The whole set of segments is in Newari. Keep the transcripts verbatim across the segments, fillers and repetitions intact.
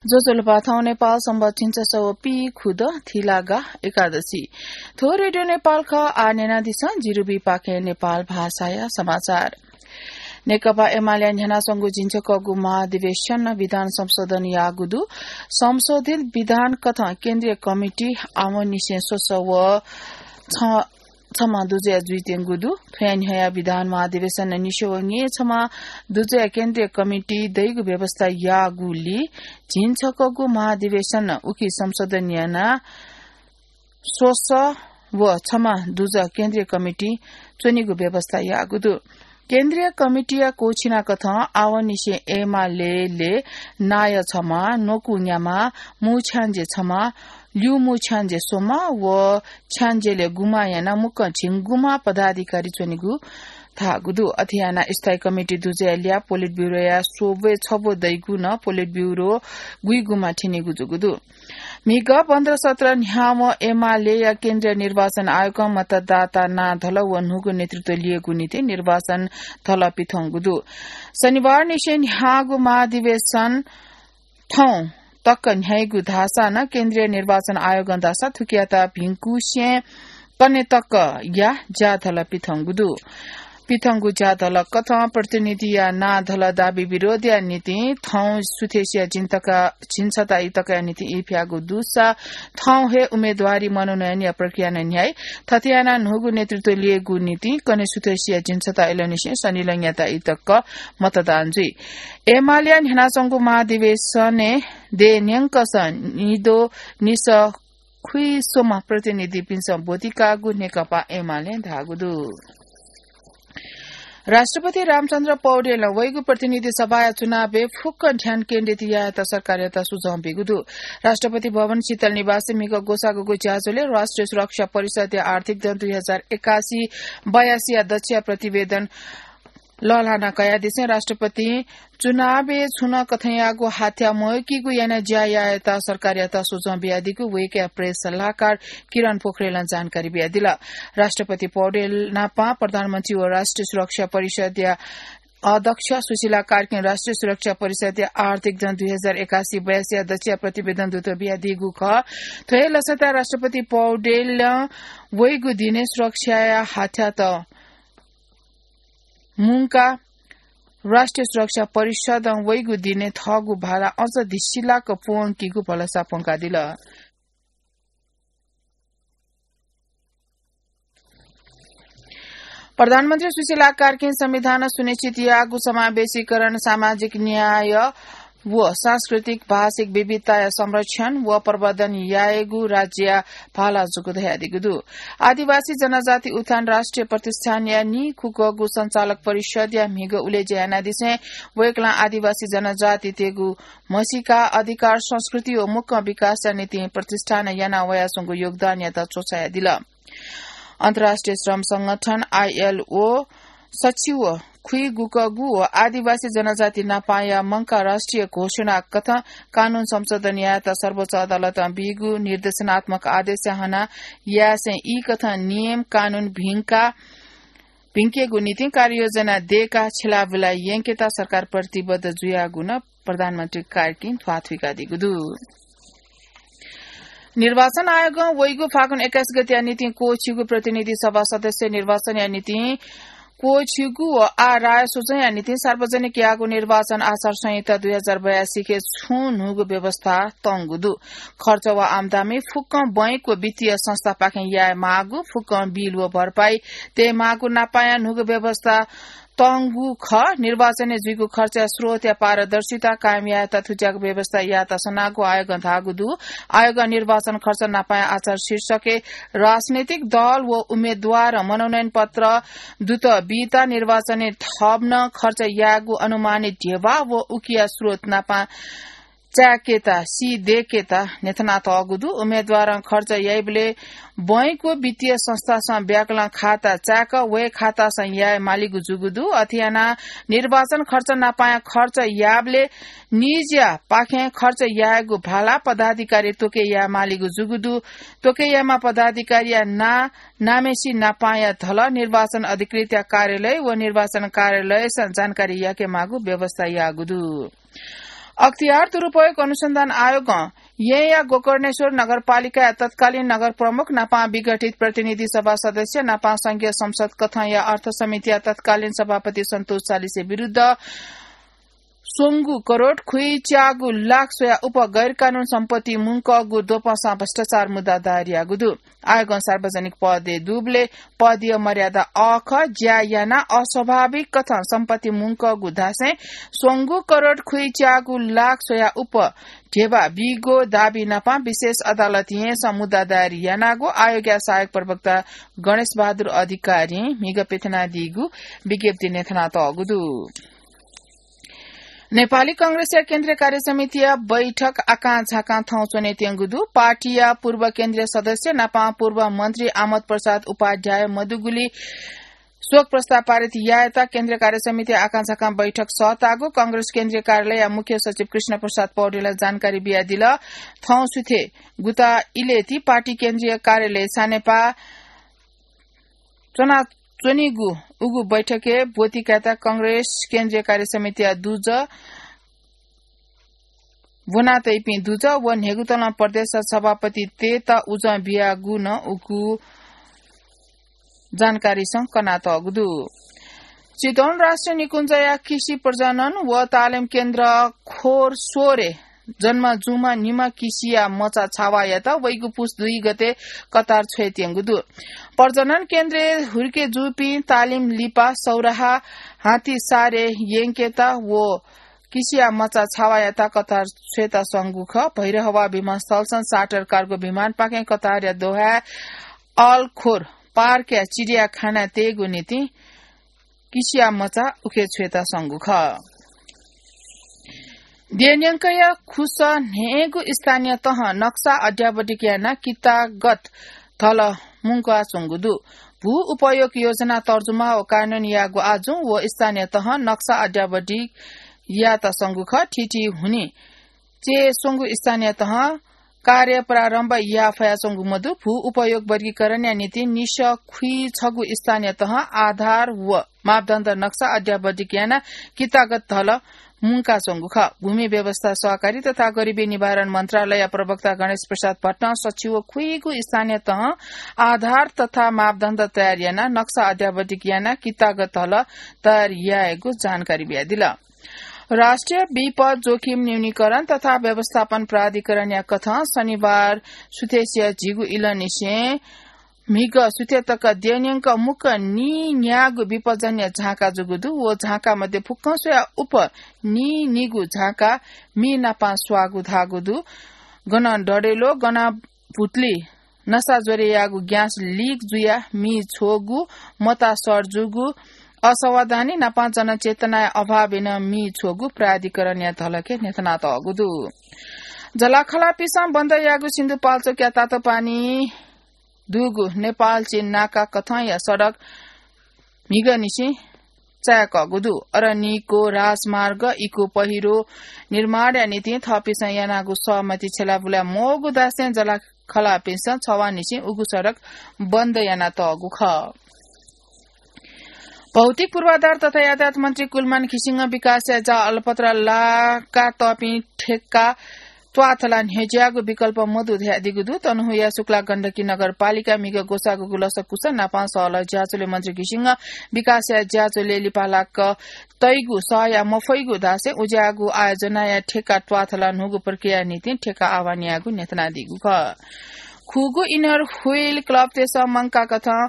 ज्वजलपा, थौं नेपाल संवत् झिंछसः व पीखुदँ थिलागा एकादशी। थ्व रेडियो नेपाल खः। आः न्यनादिसँ जिरुबी पाखें नेपाल भाषाया समाचार। नेकपा एमालेया न्ह्यानाच्वंगु झिंछकःगु महाधिवेशन विधान संशोधन याःगु दु। संशोधित विधान कथं केन्द्रीय कमिटी आवंनिसें स्वसः व छ छम्ह दुजःया जुइत्यंगु दु। थ्वया न्ह्यःया विधान महाधिवेशन निसें व न्येछम्ह दुजःया केन्द्रीय कमिटी दइगु व्यवस्था याःगुलिं झिंछकःगु महाधिवेशन उकी संशोधन यानाः स्वसः व छम्ह दुजः केन्द्रीय कमिटी च्वनेगु व्यवस्था याःगु दु। केन्द्रीय कमिटीया क्वःछिनाकथं आवंनिसें एमालेले नायः छम्ह, न्वकू न्याम्ह, मू छ्याञ्जे छम्ह, ल्यूमू छ्याञ्जे स्वम्ह व छ्याञ्जेले गुम्ह यानाः मुक्कं झिंगुम्ह पदाधिकारी च्वनेगु धाःगु दु। अथे यानाः स्थायी कमिटी दुजःया ल्याः पोलिट ब्युरोया स्वब्वय् छब्व दइगु नं पोलिट ब्युरो गुइगुम्ह थ्यनीगु जूगु दु। म्हिगः पन्ध्र सत्र न्ह्यावं एमालेया केन्द्रीय निर्वाचन आयोगं मतदाता नां धल व न्हूगु नेतृत्व लियेगु निंतिं निर्वाचन धल पिथंगु दु। शनिबारनिसें न्ह्याःगु महाधिवेशन थौं तक न्ह्याइगु धाःसा नं केन्द्रीय निर्वाचन आयोगं धाःसा थुकियात भिंकुसें कन्हय् तकया ज्याधल पिथंगु दु। पिथंगु ज्याधल कथं प्रतिनिधिया नां धल दाबी विरोधया निंतिं थौं सुथय्सिया झिंछता, झिंछता इतकया निंतिं ई फ्याःगु दुसा थौं हे उम्मेदवारी मनोनयनया प्रक्रिया नं न्ह्याइ। थथे यानाः न्हूगु नेतृत्व लियेगु निंतिं कन्हय् सुथय्सिया झिंछता इलंनिसें शनिलंयात इतक मतदान जुइ। एमालेया न्ह्यानाच्वंगु महाधिवेशनय् देय् न्यंकसं निद्वः निसः खुइस्वम्ह प्रतिनिधिपिन्सं ब्वति काःगु नेकपा एमालें धाःगु दु। राष्ट्रपति रामचन्द्र पौडेलं वइगु प्रतिनिधि सभाया चुनावय् फुक्क ध्यान केन्द्रित यायेत सरकारयात सुझाव ब्यूगु दु। राष्ट्रपति भवन शीतल निवासय् म्हिगः ग्वसाःगुगु ज्याझ्वलय् राष्ट्रिय सुरक्षा परिषदया आर्थिक दँ दुई हजार एकासी बयासीया दच्छिया प्रतिवेदन लःल्हाना कयादिसें राष्ट्रपतिं चुनावय् छुं नं कथंयागु हाथ्या मवय्कीगु यानाः ज्या यायेत सरकारयात सुझाव बियादीगु वय्कःया प्रेस सल्लाहकार किरण पोखरेलं जानकारी बियादिल। राष्ट्रपति पौडेल नाप प्रधानमन्त्री व राष्ट्रिय सुरक्षा परिषदया अध्यक्ष सुशीला कार्कीं राष्ट्रिय सुरक्षा परिषदया आर्थिक दँ दुई हजार एकासी बयासीया दच्छिया प्रतिवेदन दुत बियादीगु खः। थ्व हे लसताय् राष्ट्रपति पौडेलं वइगु दिनय् सुरक्षाया हाथ्यात मुंकाः राष्ट्रिय सुरक्षा परिषदं वइगु दिनय् थःगु भाला अझ धिसिलाक प्वंकीगु भलसा प्वंकादिल। प्रधानमन्त्री सुशीला कार्कीं संविधानं सुनिश्चित याःगु समावेशीकरण, सामाजिक न्याय व सांस्कृतिक भाषिक विविधताया संरक्षण व प्रवर्धन यायेगु राज्यया भाला जूगु धयादीगु दु। आदिवासी जनजाति उत्थान राष्ट्रिय प्रतिष्ठानया नीखुकःगु सञ्चालक परिषदया म्हिगः उलेज्या यानादिसें वय्कलं आदिवासी जनजातितय्गु म्हसीका, अधिकार, संस्कृति व मुक्कं विकासया निंतिं प्रतिष्ठानं याना वयाच्वंगु योगदानयात च्वछायादिल। अन्तर्राष्ट्रिय श्रम संगठन, आईएलओ, सच्छि व खुइगुकःगु व आदिवासी जनजाति नापंया मंकाः राष्ट्रिय घोषणा कथं कानून संशोधन यायेत सर्वोच्च अदालतं बीगु निर्देशनात्मक आदेशया हना यासें ई कथं नियम कानून भिंका, भिंकेगु निंतिं कार्ययोजना दयेकाः छ्यलाबुला यंकेत सरकार प्रतिबद्ध जुयागु नं प्रधानमन्त्री कार्कीं ध्वाथुइकादीगु दु। निर्वाचन आयोगं वइगु फागुन एक्काइस गतेया निंतिं क्वःछिउगु प्रतिनिधि सभा सदस्य निर्वाचनया निंतिं क्वःछिउगु व आः राय स्वजुंया निंतिं सार्वजनिक याःगु निर्वाचन आचार संहिता दुई हजार बयासीके छुं न्हूगु व्यवस्था तंगु दु। खर्च व आम्दानी फुक्कं बैंक व वित्तीय संस्थापाखें याये माःगु, फुक्कं बिल व भरपाई तये माःगु नापंया न्हूगु व्यवस्था तंगु खः। निर्वाचनय् जुइगु खर्चया स्रोतया पारदर्शिता कायम यायेत थुज्याःगु व्यवस्था यायेत सनागु आयोगं धाःगु दु। आयोगं निर्वाचन खर्च नापंया आचार शीर्षकय् राजनैतिक दल व उम्मेदवारं मनोनयन पत्र दुत बीत निर्वाचनय् थप नं खर्च यायेगु अनुमानित ध्यबा व उकिया स्रोत नापं चाय्केत, सी दय्केत न्ह्यथनातःगु दु। उम्मेदवारं खर्च याइबलय् बैंक व वित्तीय संस्थासं ब्याकलं खाता चाय्क वय् खातासं याये मालीगु जूगु दु। अथे यानाः निर्वाचन खर्च नापंया खर्च याःबलय् निजया पाखें खर्च यायेगु भाला पदाधिकारी त्वके याये मालीगु जूगु दु। त्वके यायेमा पदाधिकारीया नां नामेसी नापंया धलः निर्वाचन अधिकृतया कार्यालय व निर्वाचन कार्यालयसं जानकारी याके माःगु व्यवस्था याःगु दु। अख्तियार दुरुपयोग अनुसन्धान आयोगं येँया गोकर्णेश्वर नगरपालिकाया तत्कालीन नगर प्रमुख नापं विघटित प्रतिनिधि सभा सदस्य नापं संघीय संसद कथंया अर्थ समितिया तत्कालीन सभापति सन्तोष चालिसे विरुद्ध स्वंगु करोड खुइच्यागु लाख स्वया उप गैर कानून सम्पत्ति मुंकःगु द्वपंसां भ्रष्टाचार मुद्दा दायर याःगु दु। आयोगं सार्वजनिक पदय् दुबलय् पदीय मर्यादा अःखः ज्या यानाः अस्वाभाविक कथं सम्पत्ति मुंकःगु धासें स्वंगु करोड खुइच्यागु लाख स्वया उप ध्यबा बीगु दाबी नापं विशेष अदालत येँसं मुद्दा दायर यानागु आयोगया सहायक प्रवक्ता गणेश बहादुर अधिकारीं म्हिगः प्यथनादीगु विज्ञप्तिइ न्ह्यथनातःगु दु। नेपाली कांग्रेसया केन्द्रीय कार्य समितिया बैठक आकां झाकां थौं च्वनेत्यंगु दु। पार्टीया पूर्व केन्द्रीय सदस्य नापं पूर्व मन्त्री आमोद प्रसाद उपाध्याय मदुगुलिं शोक प्रस्ताव पारित यायेत केन्द्रीय कार्य समितिया आकां झाकां बैठक सःतागु कांग्रेस केन्द्रीय कार्यालयया मुख्य सचिव कृष्ण प्रसाद पौडेलं जानकारी बियादिल। थौं सुथय् गुता इलय् ति पार्टी केन्द्रीय कार्यालय सानेपाः च्वनाच्वनीगु उगु बैठकय् ब्वति कायेत कांग्रेस केन्द्रीय कार्य समितिया दुजः, ब्वनातइपिं दुजः व न्हय्गुतलं प्रदेश सभापतितय्त उजं बियागु नं उगु जानकारीसं कनातःगु दु। चितवन राष्ट्रिय निकुञ्जया कृषि प्रजनन व तालिम केन्द्र खोर स्वरे जन्म जूम्ह निम्ह कृषिया मचा छावायात वइगु पुस दुई गते कतार छ्वयेत्यंगु दु। प्रजनन केन्द्रय् हुर्के जूपिं तालिम लिपा सौराहा हाथीसारे यंकेत व कृषिया मचा छावायात कतार छ्वयेत स्वंगु खः। भैरहवा विमानस्थलसं चार्टर कार्गो विमानपाखें कतारया दोहाय् अल खोर पार्कया चिडियाखाना तयेगु निंतिं कृषिया मचा उखे छ्वयेत स्वंगु खः। देय् न्यंकया खुसः न्हय्गू स्थानीय तहं नक्सा अध्यावधिक यानाः कितागत धल मुंकाच्वंगु दु। भू उपयोग योजना तर्जुमा व कार्यान्वयन याःगु आजुं व स्थानीय तहं नक्सा अध्यावधिक यात स्वंगु खः। थीथी हुनिं च्वय् स्वंगु स्थानीय तहं कार्य प्रारम्भ याये फयाच्वंगु मदु। भू उपयोग वर्गीकरणया निंतिं निसः खुइछगू स्थानीय तहं आधार व मापदण्ड नक्सा अध्यावधिक यानाः कितागत धल मुंकाच्वंगु खः। भूमि व्यवस्था, सहकारी तथा गरिबी निवारण मन्त्रालय प्रवक्ता गणेश प्रसाद भट्टं सच्छि व खुइगू स्थानीय तहं आधार तथा मापदण्ड तयार यानाः नक्सा अध्यावधिक यानाः कितागत धल तयार यायेगु जानकारी बियादिल। राष्ट्रिय विपद जोखिम न्यूनीकरण तथा व्यवस्थापन प्राधिकरणया कथं शनिबार सुथसिया झिगू इलंनिसें म्हिगः सुथय् तक देय् न्यंक मुक्कं नीन्यागू विपदजन्य झाँका जूगु दु। व झाँका मध्ये फुक्कं स्वया उप नीनिगू झाँका मि नापं स्वाःगु धाःगु दु। गनं डढेलो, गनं भुतुलि नसा ज्वरयागु ग्यास लिक जुयाः मि छ्वःगु, मता सर जूगु, असावधानी नापं जनचेतनाया अभावय् नं मि छ्वःगु प्राधिकरणया धलखय् न्ह्यथनातःगु दु। जलाखलापिसं बन्द याःगु सिन्धुपाल्चोकया तातोपानी दुगु नेपाल चीन नाका कथंया सडक म्हिगःनिसें चाय्कःगु दु। अरनिको राजमार्ग इको पहिरो निर्माणया निंतिं थःपिसं यानागु सहमति छ्यलाबुला मवःगु धासें जलाखलापिसं छवाःनिसें उगु सडक बन्द यानातःगु खः। भौतिक पूर्वाधार तथा यातायात मन्त्री कुलमान घिसिङं विकासया ज्या अलपत्र लाकातःपिं ठेक्का त्वाथला न्ह्यज्याःगु विकल्प मदु धयादीगु दु। तनहुँया शुक्ला गण्डकी नगरपालिका म्हिगः ग्वसाःगु लसकुस नापं सहलह ज्याझ्वलय् मन्त्री घिसिङं विकासया ज्याझ्वलय् लिपा लाक तइगु सहया मफइगु धासें उज्याःगु आयोजनाया ठेक्का त्वाथला न्हूगु प्रक्रियाया निंतिं ठेक्का आह्वान याःगु न्ह्यथनादीगु खः। खुगू इनर ह्वील क्लबतय्सं मंकाकथं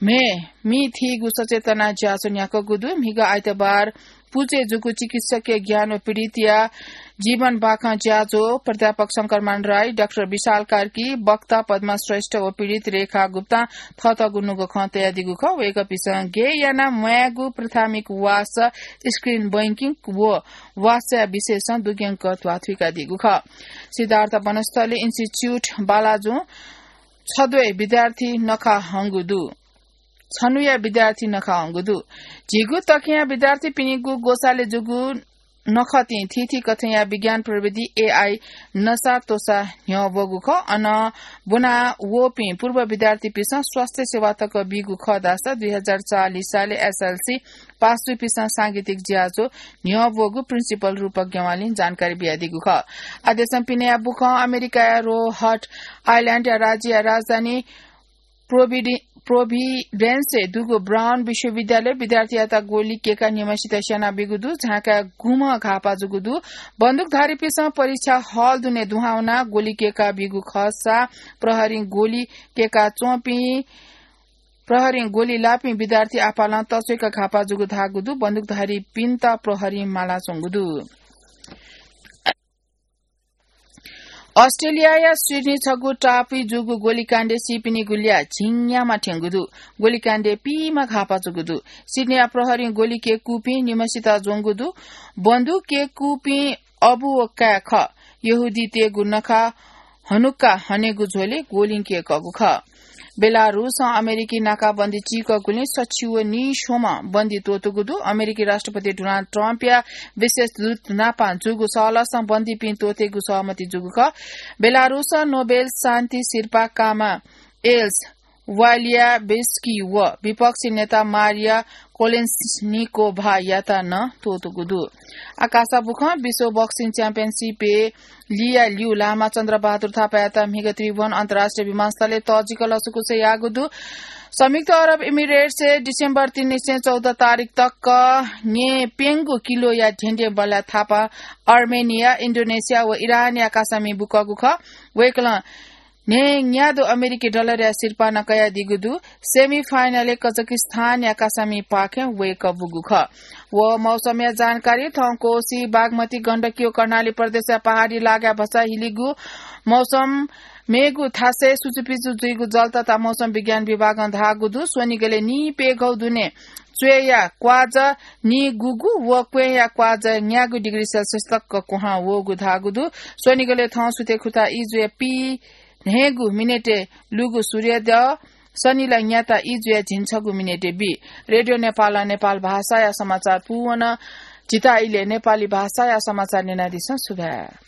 म्हे मि थीगु सचेतना ज्याझ्वः न्ह्याकूगु दु। म्हिगः आइतबार पुचय् जूगु चिकित्सकीय ज्ञान व पीडितया जीवन बाखं ज्याझ्वः प्राध्यापक शंकरमान राई, डाक्टर विशाल कार्की, वक्ता पद्मा श्रेष्ठ व पीडित रेखा गुप्तां थःथःगु नुगः खँ तयादीगु खः। वय्कःपिसं गय् यानाः म्वायेगु प्राथमिक वासः, screen banking व वासःया विषयसं दुग्यंक ध्वाथुइकादीगु खः। सिद्धार्थ वनस्थली इन्स्टिच्युट बालाजुं छद्वय् विद्यार्थी नखा हंगु दु। छन्हुया विद्यार्थी नखा हंगु दु। झीगु तखिया विद्यार्थीपिनिगु ग्वसालय् जूगु नखःतिं थीथी कथंया विज्ञान प्रविधि एआई नसा त्वसा न्ह्यः वःगु खः। अन ब्वना वःपिं पूर्व विद्यार्थीपिन्सं स्वास्थ्य सेवा तक बीगु खः धाःसा दुई हजार चालिस सालय् एसएलसी पास दुपिन्सं सांगीतिक ज्याझ्वः न्ह्यः वःगु प्रिन्सिपल रूपक ज्ञवालीं जानकारी बियादीगु खः। आदेशं पिनेया बुखं अमेरिकाया रोहट आइल्याण्डया राज्यया राजधानी प्रोभिडि-, प्रोभिडेन्सय् दुगु ब्राउन विश्वविद्यालय विद्यार्थीयात गोली केका निम्हसित स्यानाबीगु दु। झाँकाय् गुम्ह घाःपा जूगु दु। बन्दुकधारीपिन्सं परीक्षा हल दुने दुहां वनाः गोली केकाबीगु खःसा प्रहरीं गोली केका च्वंपिं, प्रहरीं गोली लाःपिं विद्यार्थी आपालं तच्वय्क घाःपा जूगु धाःगु दु। बन्दुकधारीपिन्त प्रहरीं मालाच्वंगु दु। अस्ट्रेलियाया सिडनी छगू टापुइ जूगु गोलीकाण्डय् सीपिनिगु ल्याः झिंन्याम्ह थ्यंगु दु। गोलीकाण्डय् पीम्ह घाःपा जूगु दु। सिडनीया प्रहरीं गोली केकूपिं निम्हसित ज्वंगु दु। बन्दुक केकूपिं अबु व काय् खः। यहूदीतय्गु नखः हनुक्का हनेगु झ्वलय् गोलिं केकःगु खः। बेलारूसं अमेरिकी नाकाबन्दी चीकःगुलिं सछि व नीस्वम्ह बन्दी त्वःतूगु दु। अमेरिकी राष्ट्रपति डोनाल्ड ट्रम्पया विशेष दूत नाप जूगु सहलहसं बन्दीपिं त्वःतेगु सहमति जूगु खः। बेलारूसं नोबेल शान्ति सिरपाः काःम्ह एल्स वालियाबिस्की व विपक्षी नेता मारिया कोलेन्सनिकोभायात नं त्वःतूगु दु। आकाश बुखं विश्व बक्सिङ च्याम्पियनसिपय् लिया ल्यू लामा चन्द्रबहादुर थापायात म्हिगः त्रिभुवन अन्तर्राष्ट्रिय विमानस्थलय् तःजिक लसकुस याःगु दु। संयुक्त अरब इमिरेट्सय् डिसेम्बर तीन निसें चौध तारिख तक न्येप्यंगु किलोया ध्येंद्यँ बल्लाः थापा अर्मेनिया, इन्डोनेसिया व इरानया कासामि बुकःगु खः। वय्कलं न्हय्न्यादँ अमेरिकी डलरया सिरपाः नं कयादीगु दु। सेमी फाइनलय् कजाकिस्तानया कासामिपाखें वय्कः बूगु खः। व मौसमया जानकारी। थौं कोसी, बागमती, गण्डकी व कर्णाली प्रदेशया पहाडी लागाय् भचा हिलिगु मौसम मेगु थासय् सुचुपिचु जुइगु जल तथा मौसम विज्ञान विभागं धाःगु दु। स्वनिगलय् निइप्यघौ दुने च्वय्या क्वाःजा निगूगु व क्वँय्या क्वाःजा न्यागू डिग्री सेल्सियस तक क्वहां वःगु धाःगु दु। स्वनिगलय् थौं सुथय् खुता इजुया पी न्हय्गू मिनेटय् लुगु सूर्योदय, सनिला न्याता इजुया झिंछगू मिनेटय् बी। रेडियो नेपालं नेपाल भाषाया समाचार पूवन। झीत इलय् नेपाली भाषाया समाचार न्यनादिसँ। सुभाय्।